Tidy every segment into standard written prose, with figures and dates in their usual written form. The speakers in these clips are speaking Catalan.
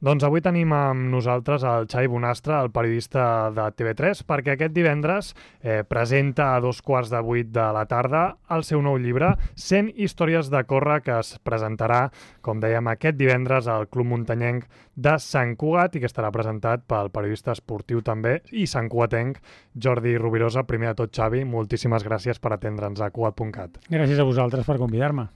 Doncs avui tenim amb nosaltres el Xavi Bonastre, el periodista de TV3, perquè aquest divendres presenta a 7:15 de la tarda el seu nou llibre, 100 històries de córrer, que es presentarà, com dèiem, aquest divendres al Club Muntanyenc de Sant Cugat i que estarà presentat pel periodista esportiu també i santcugatenc Jordi Rovirosa. Primer de tot, Xavi, moltíssimes gràcies per atendre'ns a Cugat.cat. Gràcies a vosaltres per convidar-me.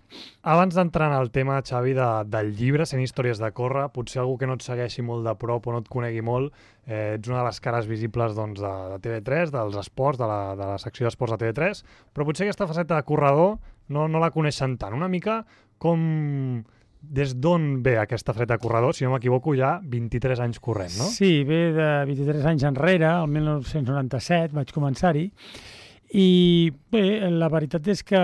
Abans d'entrar en el tema, Xavi, del llibre 100 històries de córrer, potser algú que no et segueixi molt de prop o no et conegui molt, ets una de les cares visibles doncs, de TV3, dels esports, de la secció d'esports de TV3, però potser aquesta faceta de corredor no la coneixen tant. Una mica com... Des d'on ve aquesta faceta de corredor? Si no m'equivoco, ja 23 anys corrent, no? Sí, ve de 23 anys enrere, el 1997 vaig començar-hi, i bé, la veritat és que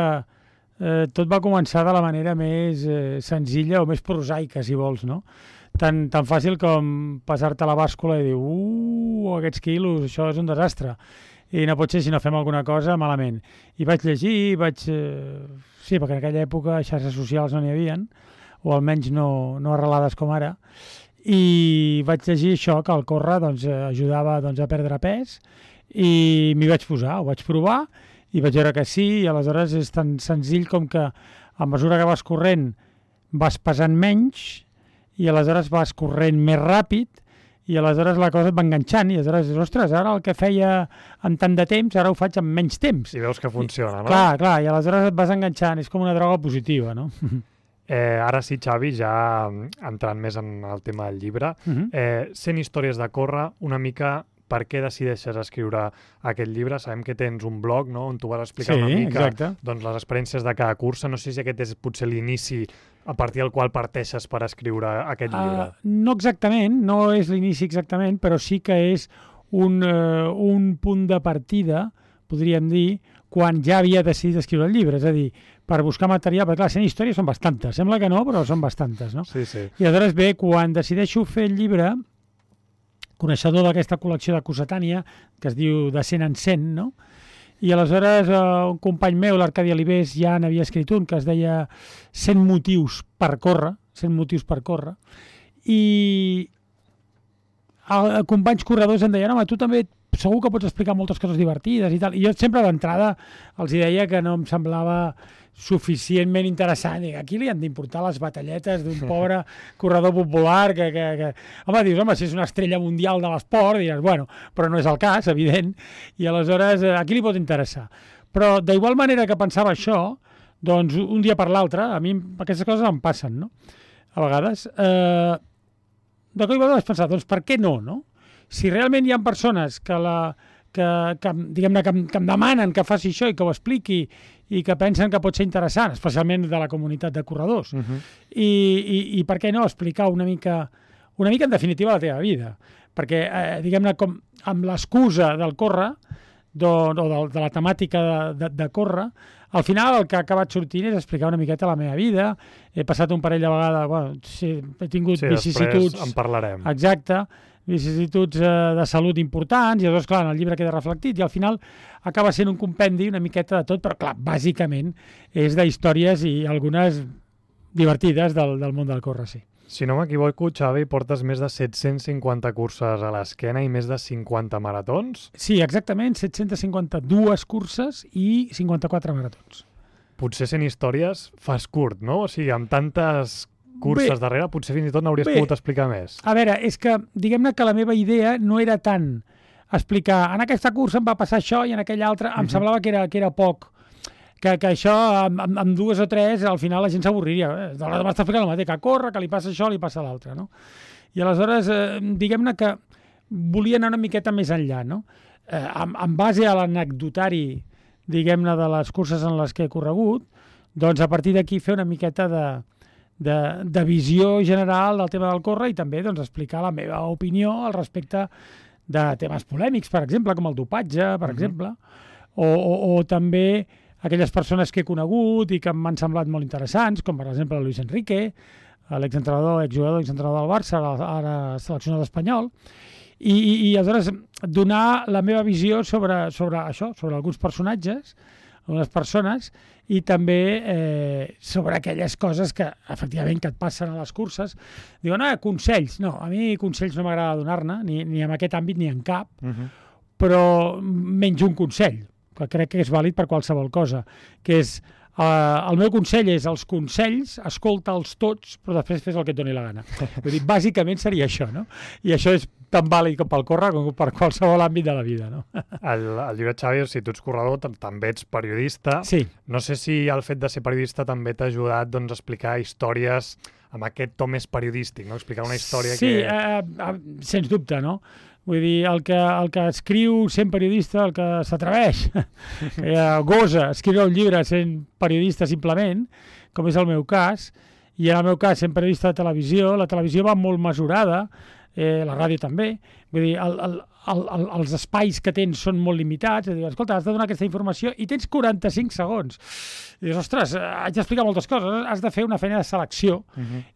tot va començar de la manera més senzilla o més prosaica, si vols, no? Tan fàcil com passar-te a la bàscula i dir aquests quilos, això és un desastre. I no pot ser si no fem alguna cosa malament. I vaig llegir, sí, perquè en aquella època xarxes socials no n'hi havien, o almenys no arrelades com ara, i vaig llegir això, que el córrer ajudava a perdre pes, i m'hi vaig posar, ho vaig provar, i vaig veure que sí, i aleshores és tan senzill com que a mesura que vas corrent vas pesant menys, i aleshores vas corrent més ràpid, i aleshores la cosa et va enganxant, i aleshores dius, ostres, ara el que feia en tant de temps, ara ho faig en menys temps. I veus que funciona, no? Clar, i aleshores et vas enganxant, és com una droga positiva, no? Ara sí, Xavi, ja entrant més en el tema del llibre, 100 històries de córrer, una mica per què decideixes escriure aquest llibre? Sabem que tens un blog, no?, on tu vas explicar una mica doncs, les experiències de cada cursa. No sé si aquest és potser l'inici a partir del qual parteixes per escriure aquest llibre. No exactament, no és l'inici exactament, però sí que és un punt de partida, podríem dir, quan ja havia decidit escriure el llibre, és a dir, per buscar material, perquè clar, 100 històries són bastantes, sembla que no, però són bastantes, no? Sí. I aleshores ve, quan decideixo fer el llibre, coneixedor d'aquesta col·lecció de Cossetània, que es diu De 100 en 100, no? I aleshores un company meu, l'Arcadi Alibés, ja n'havia escrit un que es deia 100 motius per córrer, i companys corredors em deien, home, tu també segur que pots explicar moltes coses divertides i tal, i jo sempre d'entrada els deia que no em semblava suficientment interessant. A qui li han d'importar les batalletes d'un pobre corredor popular que... Home, dius, si és una estrella mundial de l'esport, diràs, bueno, però no és el cas, evident, i aleshores a qui li pot interessar? Però d'igual manera que pensava això, doncs un dia per l'altre, a mi aquestes coses em passen, no? A vegades. De cop i volta vaig pensar, doncs per què no, no? Si realment hi ha persones que em demanen que faci això i que ho expliqui i que pensen que pot ser interessant, especialment de la comunitat de corredors, i per què no explicar una mica en definitiva la teva vida, perquè diguem-ne com amb l'excusa del córrer o de la temàtica de córrer, al final el que ha acabat sortint és explicar una miqueta la meva vida. He passat un parell de vegades, he tingut vicissituds... Després en parlarem. Exacte, vicissituds de salut importants, i llavors, clar, en el llibre queda reflectit, i al final acaba sent un compendi una miqueta de tot, però clar, bàsicament és d'històries i algunes divertides del món del córrer, sí. Si no m'equivoco, Xavi, portes més de 750 curses a l'esquena i més de 50 maratons? Sí, exactament, 752 curses i 54 maratons. Potser 100 històries fas curt, no? O sigui, amb tantes curses darrere, potser fins i tot n'hauries pogut explicar més. A veure, és que, diguem-ne que la meva idea no era tant explicar, en aquesta cursa em va passar això i en aquella altra em semblava que era poc, que això, amb 2 o 3, al final la gent s'avorriria. M'està explicant el mateix, que corre, que li passa això, li passa l'altre, no? I aleshores, diguem-ne que volia anar una miqueta més enllà, no? En base a l'anecdotari, diguem-ne, de les curses en les que he corregut, doncs a partir d'aquí fer una miqueta de visió general del tema del córrer i també doncs, explicar la meva opinió al respecte de temes polèmics, per exemple, com el dopatge, per exemple, o també aquelles persones que he conegut i que m'han semblat molt interessants, com per exemple Luis Enrique, exjugador del Barça, ara seleccionat espanyol, i aleshores donar la meva visió sobre això, sobre alguns personatges, algunes persones, i també sobre aquelles coses que, efectivament, que et passen a les curses. Diuen, consells. No, a mi consells no m'agrada donar-ne, ni en aquest àmbit ni en cap, però menys un consell, que crec que és vàlid per qualsevol cosa, que és, el meu consell és els consells, escolta'ls tots, però després fes el que et doni la gana. Vull dir, bàsicament seria això, no? I això és tan vàlid com pel córrer com per qualsevol àmbit de la vida, no? El llibre, Xavi, si tu ets corredor, també ets periodista. Sí. No sé si el fet de ser periodista també t'ha ajudat, doncs, a explicar històries amb aquest to més periodístic, no? Explicar una història que... Sí, sens dubte, no? Vull dir, el que escriu sent periodista, el que s'atreveix, que gosa escriure un llibre sent periodista simplement, com és el meu cas, i en el meu cas sent periodista de televisió, la televisió va molt mesurada, la ràdio també, vull dir, els espais que tens són molt limitats, és a dir, escolta, has de donar aquesta informació i tens 45 segons. I dius, ostres, haig d'explicar moltes coses, has de fer una feina de selecció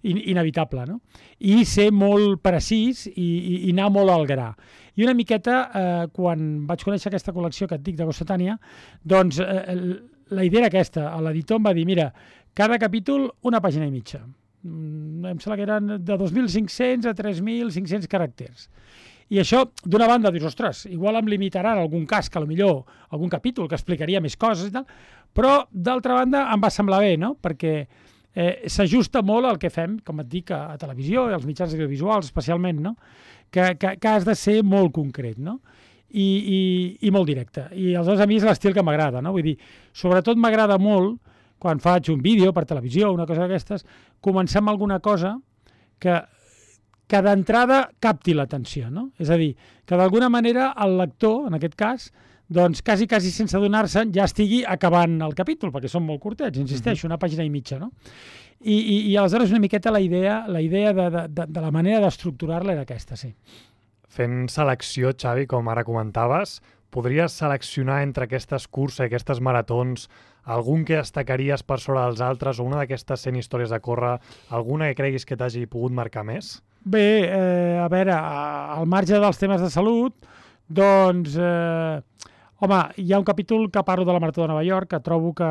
inevitable, no? I ser molt precís i anar molt al gra. I una miqueta, quan vaig conèixer aquesta col·lecció que et dic de Cossetània, doncs la idea era aquesta. L'editor em va dir, mira, cada capítol una pàgina i mitja. Em sembla que eren de 2.500 a 3.500 caràcters. I això, d'una banda, dius, ostres, igual em limitaran algun cas, que potser algun capítol que explicaria més coses i tal, però, d'altra banda, em va semblar bé, no? Perquè s'ajusta molt al que fem, com et dic, a televisió i als mitjans audiovisuals, especialment, no? Que has de ser molt concret, no? I molt directe. I aleshores a mi és l'estil que m'agrada, no? Vull dir, sobretot m'agrada molt, quan faig un vídeo per televisió o una cosa d'aquestes, començar amb alguna cosa que d'entrada capti l'atenció, no? És a dir, que d'alguna manera el lector, en aquest cas, doncs quasi sense adonar-se'n ja estigui acabant el capítol, perquè són molt curtets, insisteixo, una pàgina i mitja, no? I aleshores una miqueta la idea de la manera d'estructurar-la era aquesta, sí. Fent selecció, Xavi, com ara comentaves, podries seleccionar entre aquestes curses i aquestes maratons algun que destacaries per sobre dels altres o una d'aquestes 100 històries de córrer, alguna que creguis que t'hagi pogut marcar més? Bé, a veure, al marge dels temes de salut, doncs, home, hi ha un capítol que parlo de la Marató de Nova York, que trobo que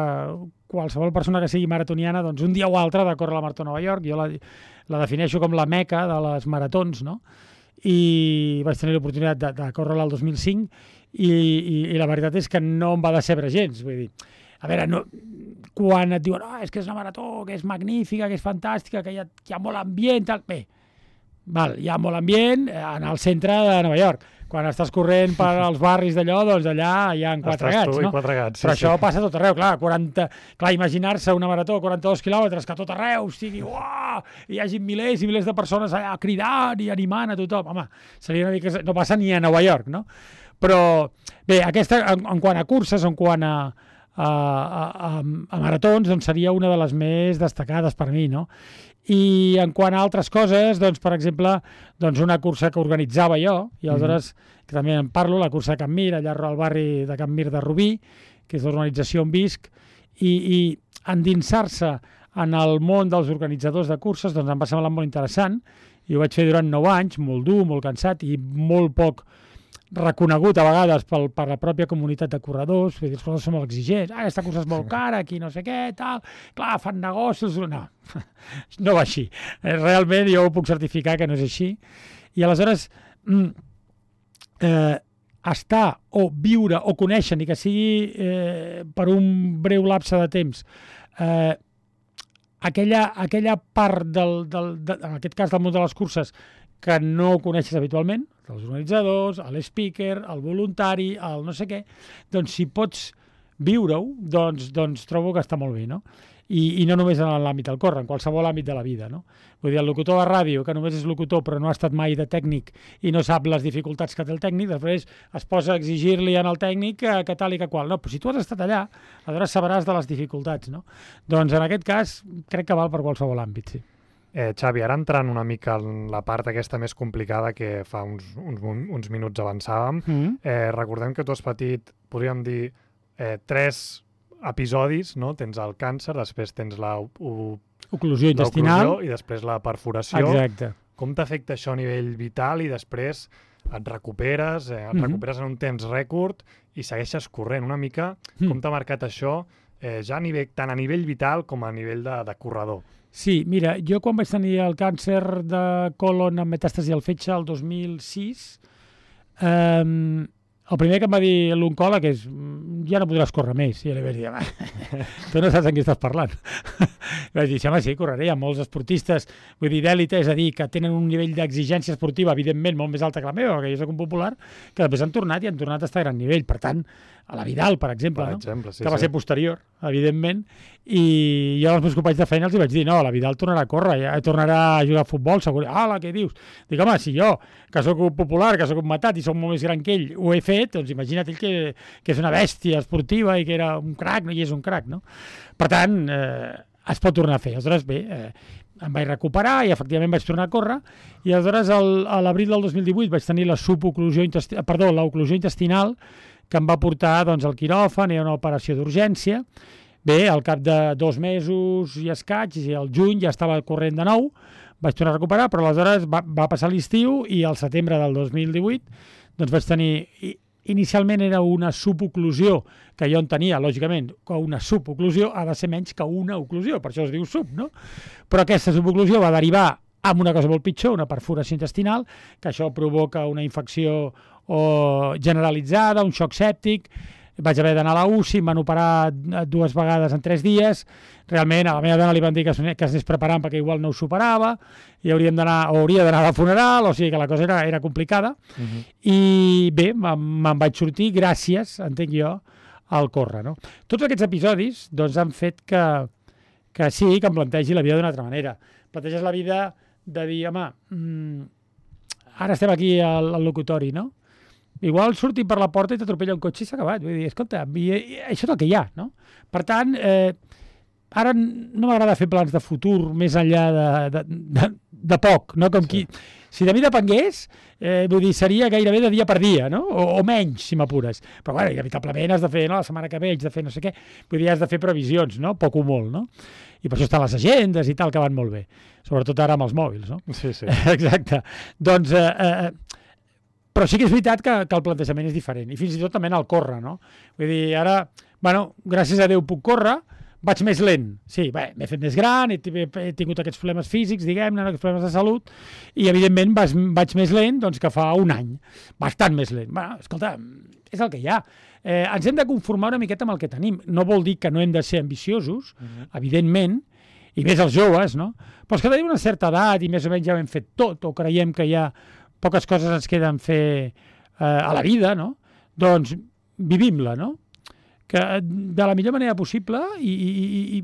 qualsevol persona que sigui maratoniana, doncs un dia o altre ha de córrer la Marató de Nova York. Jo la defineixo com la meca de les maratons, no? I vaig tenir l'oportunitat de córrer-la el 2005 i la veritat és que no em va decebre gens, vull dir, a veure, no, quan et diuen és que és una marató, que és magnífica, que és fantàstica, que hi ha molt ambient, tal, bé, hi ha molt ambient en el centre de Nova York. Quan estàs corrent per als barris d'allò, doncs allà hi ha quatre gats, no? Però això passa a tot arreu, clar, imaginar-se una marató a 42 quilòmetres, que a tot arreu sigui, uah, hi hagi milers i milers de persones allà cridant i animant a tothom, home, seria una mica... no passa ni a Nova York, no? Però, bé, aquesta, en quant a curses, en quant a maratons, doncs seria una de les més destacades per mi, no? I en quant a altres coses, doncs, per exemple, doncs una cursa que organitzava jo, i aleshores, que també en parlo, la cursa de Can Mir, allà al barri de Can Mir de Rubí, que és l'organització on visc, i endinsar-se en el món dels organitzadors de curses, doncs em va semblar molt interessant, i ho vaig fer durant 9 anys, molt dur, molt cansat, i molt poc reconegut a vegades per la pròpia comunitat de corredors, vull dir, els corredors són molt exigents, aquesta cursa és molt cara, aquí no sé què, tal, clar, fan negocis... No va així. Realment jo ho puc certificar que no és així. I aleshores, estar o viure o conèixer, ni que sigui per un breu lapse de temps, aquella part, en aquest cas del món de les curses, que no coneixes habitualment, els organitzadors, l'speaker, el voluntari, el no sé què, doncs si pots viure-ho, doncs trobo que està molt bé, no? I no només en l'àmbit del córrer, en qualsevol àmbit de la vida, no? Vull dir, el locutor de ràdio, que només és locutor però no ha estat mai de tècnic i no sap les dificultats que té el tècnic, després es posa a exigir-li al tècnic que tal i que qual. No, però si tu has estat allà, aleshores sabràs de les dificultats, no? Doncs en aquest cas crec que val per qualsevol àmbit, sí. Xavi, ara entrant una mica en la part aquesta més complicada que fa uns minuts avançàvem, recordem que tu has patit, podríem dir, 3 episodis, no? Tens el càncer, després tens l'oclusió intestinal i després la perforació. Exacte. Com t'afecta això a nivell vital i després et recuperes en un temps rècord i segueixes corrent. Una mica com t'ha marcat això, ja tant a nivell vital com a nivell de corredor. Sí, mira, jo quan vaig tenir el càncer de colon amb metàstasi al fetge el 2006, el primer que em va dir l'oncòleg és ja no podràs córrer més. I jo li vaig dir, tu no saps amb qui estàs parlant. Vaig dir, home, sí, correré. Hi ha molts esportistes, vull dir, d'èlite, és a dir, que tenen un nivell d'exigència esportiva, evidentment, molt més alta que la meva, que jo soc un popular, que després han tornat i han tornat a estar a gran nivell. Per tant, a la Vidal, per exemple, que va ser posterior, evidentment, i jo als meus companys de feina els vaig dir, no, la Vidal tornarà a córrer, ja tornarà a jugar a futbol, segur. Ala, què dius? Dic, home, si jo, que sóc un popular, que sóc un matat i sóc molt més gran que ell, ho he fet, doncs imagina't ell que és una bèstia esportiva i que era un crac, no? I és un crac, no? Per tant, es pot tornar a fer. Aleshores, bé, em vaig recuperar i efectivament vaig tornar a córrer i aleshores a l'abril del 2018 vaig tenir l'oclusió intestinal que em va portar doncs, al quiròfan i a una operació d'urgència. Bé, al cap de 2 mesos i escaig, i al juny ja estava corrent de nou, vaig tornar a recuperar, però aleshores va passar l'estiu i al setembre del 2018 doncs vaig tenir... Inicialment era una suboclusió que jo en tenia, lògicament, que una suboclusió ha de ser menys que una oclusió, per això es diu sub, no? Però aquesta suboclusió va derivar amb una cosa molt pitjor, una perforació intestinal, que això provoca una infecció generalitzada, un xoc sèptic. Vaig haver d'anar a la UCI, em van operar 2 vegades en 3 dies. Realment, a la meva dona li van dir que es anés preparant perquè igual no ho superava i hauria d'anar al funeral, o sigui que la cosa era complicada. I bé, me'n vaig sortir gràcies, entenc jo, al córrer. No? Tots aquests episodis doncs, han fet que sí, que em plantegi la vida d'una altra manera. Planteges la vida de dir, home, ara estem aquí al locutori, no? Igual surti per la porta i t'atropella un cotxe i s'ha acabat. Vull dir, escolta, això és el que hi ha, no? Per tant, ara no m'agrada fer plans de futur més enllà de poc, no? Com qui... Si de mi depengués, vull dir, seria gairebé de dia per dia, no? O menys, si m'apures. Però, bueno, inevitablement has de fer, no? La setmana que ve haig de fer no sé què. Vull dir, has de fer previsions, no? Poc o molt, no? I per això estan les agendes i tal, que van molt bé. Sobretot ara amb els mòbils, no? Sí, sí. Exacte. Doncs... però sí que és veritat que el plantejament és diferent, i fins i tot també en el córrer, no? Vull dir, ara, bueno, gràcies a Déu puc córrer, vaig més lent. Sí, bé, m'he fet més gran, he tingut aquests problemes físics, diguem-ne, aquests problemes de salut, i evidentment vaig més lent doncs, que fa un any, bastant més lent. Bueno, escolta, és el que hi ha. Ens hem de conformar una miqueta amb el que tenim. No vol dir que no hem de ser ambiciosos, evidentment, i més els joves, no? Però és que tenim una certa edat i més o menys ja ho hem fet tot, o creiem que ja poques coses ens queden fer a la vida, no? Doncs vivim-la, no? Que de la millor manera possible i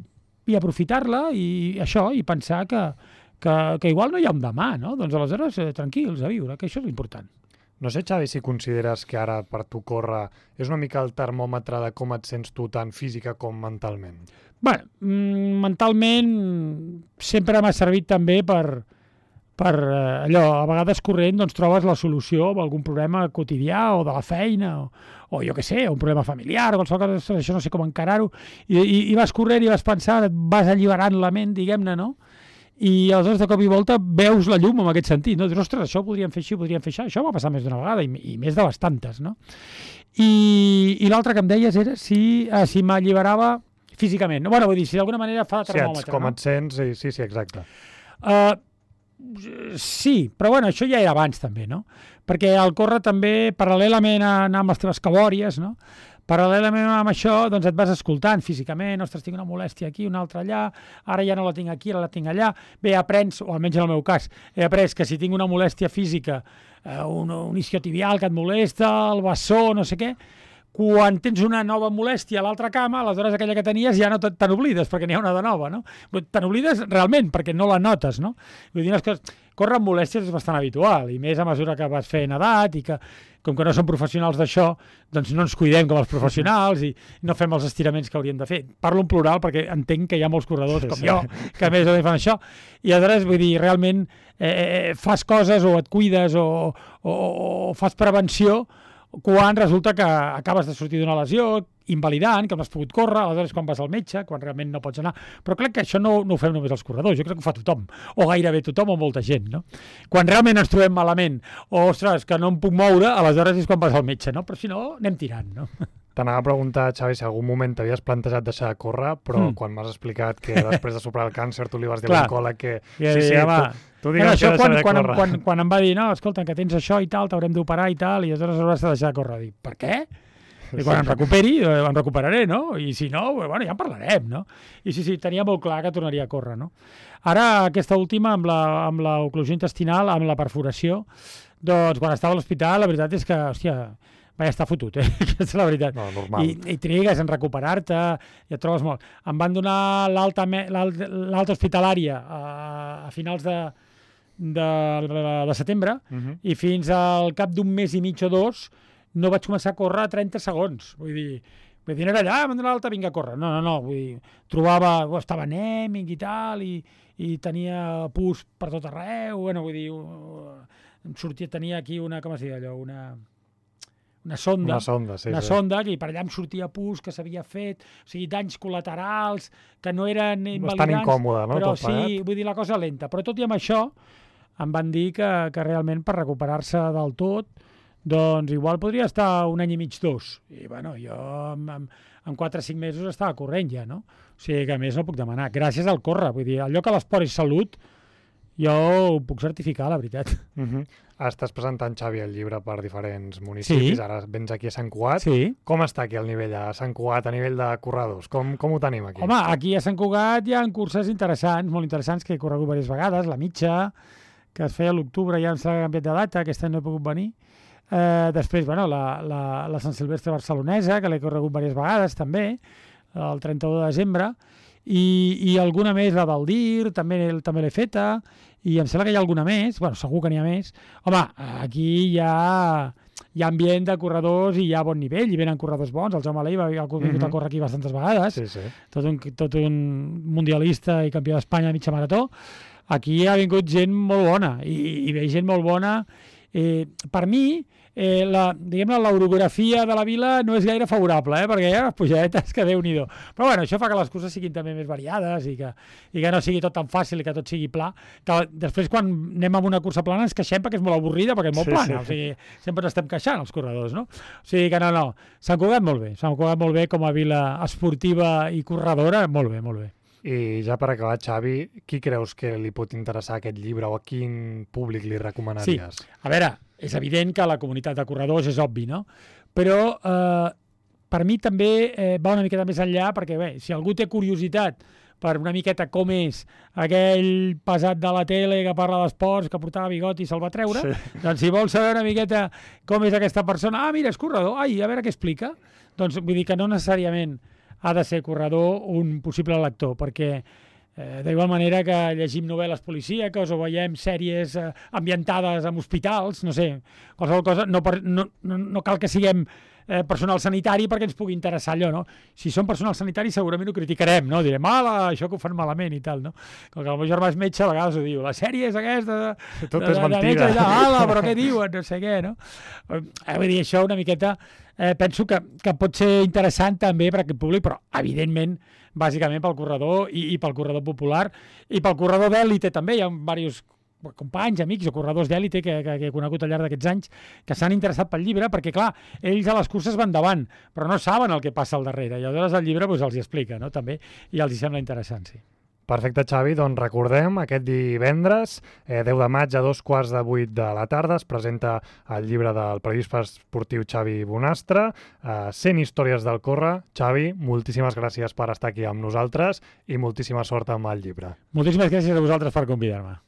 aprofitar-la i això, i pensar que igual no hi ha un demà, no? Doncs aleshores tranquils a viure, que això és l'important. No sé, Xavi, si consideres que ara per tu córrer és una mica el termòmetre de com et sents tu tant física com mentalment. Bé, mentalment sempre m'ha servit també per allò, a vegades corrent doncs, trobes la solució a algun problema quotidià o de la feina o jo què sé, un problema familiar o qualsevol cosa, això no sé com encarar-ho i vas corrent i vas pensant, et vas alliberant la ment, diguem-ne, no? I aleshores de cop i volta veus la llum en aquest sentit, no? Dius, ostres, això ho podríem fer així, podríem fer això m'ha passat més d'una vegada i més de bastantes, no? I l'altre que em deies era si m'alliberava físicament, no? Bueno, vull dir, si d'alguna manera fa de termòmetre, com et sents, sí, exacte. Sí, però bueno, això ja era abans també, no? Perquè el córrer també, paral·lelament a anar amb les teves cabòries, no? Paral·lelament amb això, doncs et vas escoltant físicament, ostres, tinc una molèstia aquí, una altra allà, ara ja no la tinc aquí, ara la tinc allà. Bé, aprens, o almenys en el meu cas, he après que si tinc una molèstia física, un isquiotibial que et molesta, el bessó, no sé què, quan tens una nova molèstia a l'altra cama, aleshores aquella que tenies ja no te n'oblides, perquè n'hi ha una de nova, no? Te n'oblides realment, perquè no la notes, no? Vull dir, córrer amb molèsties és bastant habitual, i més a mesura que vas fent edat, i que, com que no som professionals d'això, doncs no ens cuidem com els professionals i no fem els estiraments que hauríem de fer. Parlo en plural perquè entenc que hi ha molts corredors com jo, que més o menys fan això, i aleshores, vull dir, realment fas coses o et cuides o fas prevenció quan resulta que acabes de sortir d'una lesió invalidant, que no has pogut córrer, aleshores quan vas al metge, quan realment no pots anar. Però crec que això no ho fem només els corredors, jo crec que ho fa tothom, o gairebé tothom o molta gent, no? Quan realment ens trobem malament, o, ostres, que no em puc moure, aleshores és quan vas al metge, no? Però si no, anem tirant, no? T'anava a preguntar, Xavi, si algun moment t'havies plantejat deixar de córrer, però quan m'has explicat que després de superar el càncer tu li vas dir a l'oncòleg que... Tu digues que deixar de córrer. Quan em va dir, no, escolta, que tens això i tal, t'haurem d'operar i tal, i aleshores hauràs de deixar de córrer. Dic, per què? I quan em recuperi, em recuperaré, no? I si no, bueno, ja en parlarem, no? I sí, tenia molt clar que tornaria a córrer, no? Ara, aquesta última, amb l'oclusió intestinal, amb la perforació, doncs, quan estava a l'hospital, la veritat és que, hòstia, vaig estar fotut, aquesta és la veritat. No, normal. I trigues en recuperar-te, i et trobes molt. Em van donar l'alta hospitalària a finals de setembre, i fins al cap d'un mes i mig o dos no vaig començar a córrer a 30 segons. Vull dir, no era allà, m'han donat l'alta, vinga a córrer. No, vull dir, estava anèmic i tal, i tenia pus per tot arreu, bueno, vull dir, tenia aquí una, com es diu allò, una sonda, i per allà em sortia pus que s'havia fet, o sigui, danys col·laterals, que no eren invalidants. Bastant incòmode, no? Però sí, vull dir, la cosa lenta. Però tot i amb això, em van dir que realment per recuperar-se del tot, doncs igual podria estar un any i mig, 2. I bueno, jo en 4 o 5 mesos estava corrent ja, no? O sigui que a més no puc demanar. Gràcies al córrer, vull dir, allò que l'esport és salut, jo ho puc certificar, la veritat. Estàs presentant, Xavi, el llibre per diferents municipis. Ara vens aquí a Sant Cugat. Sí. Com està aquí el nivell a Sant Cugat, a nivell de corredors? Com ho tenim aquí? Home, aquí a Sant Cugat hi ha curses interessants, molt interessants, que he corregut diverses vegades. La mitja, que es feia a l'octubre, ja em s'ha canviat de data, aquest any no he pogut venir. Després, bueno, la Sant Silvestre barcelonesa, que l'he corregut diverses vegades, també, el 31 de desembre, i alguna més, la del DIR, també l'he feta, i em sembla que hi ha alguna més, bueno, segur que n'hi ha més. Home, aquí hi ha ambient de corredors i hi ha bon nivell, i venen corredors bons. El Jaume Alei ha vingut a córrer aquí bastantes vegades, tot un mundialista i campió d'Espanya de mitja marató. Aquí ha vingut gent molt bona, i ve gent molt bona. Per mi, l'orografia de la vila no és gaire favorable, perquè hi ha les pujadetes que Déu-n'hi-do. Però bueno, això fa que les curses siguin també més variades i que no sigui tot tan fàcil i que tot sigui pla. Que després, quan anem a una cursa plana, ens queixem perquè és molt avorrida, perquè és molt plana. O sigui, sempre ens estem queixant, els corredors, no? O sigui que no. Sant Cugat molt bé. Sant Cugat molt bé com a vila esportiva i corredora, molt bé, molt bé. I ja per acabar, Xavi, qui creus que li pot interessar aquest llibre o a quin públic li recomanaries? Sí, a veure, és evident que la comunitat de corredors és obvi, no? Però per mi també va una miqueta més enllà, perquè bé, si algú té curiositat per una miqueta com és aquell pesat de la tele que parla d'esports, que portava bigot i se'l va treure, doncs si vol saber una miqueta com és aquesta persona, mira, és corredor, a veure què explica. Doncs vull dir que no necessàriament ha de ser corredor un possible lector, perquè d'igual manera que llegim novel·les policíaques o veiem sèries ambientades en hospitals, no sé, qualsevol cosa, no cal que siguem personal sanitari perquè ens pugui interessar allò, no? Si som personal sanitari segurament ho criticarem, no? Direm, això que ho fan malament i tal, no? Com que el meu germà és metge, a vegades ho diu, la sèrie és aquesta... Tot és mentida. Però què diuen? No sé què, no? Vull dir, això una miqueta... penso que pot ser interessant també per a aquest públic, però evidentment bàsicament pel corredor i pel corredor popular i pel corredor d'èlite també. Hi ha diversos companys, amics o corredors d'èlite que he conegut al llarg d'aquests anys que s'han interessat pel llibre perquè, clar, ells a les curses van davant, però no saben el que passa al darrere, i aleshores el llibre els hi explica, no? També, i els hi sembla interessant, sí. Perfecte, Xavi. Doncs recordem, aquest divendres, 10 de maig a 7:15 de la tarda, es presenta el llibre del periodista esportiu Xavi Bonastre, 100 històries del córrer. Xavi, moltíssimes gràcies per estar aquí amb nosaltres i moltíssima sort amb el llibre. Moltíssimes gràcies a vosaltres per convidar-me.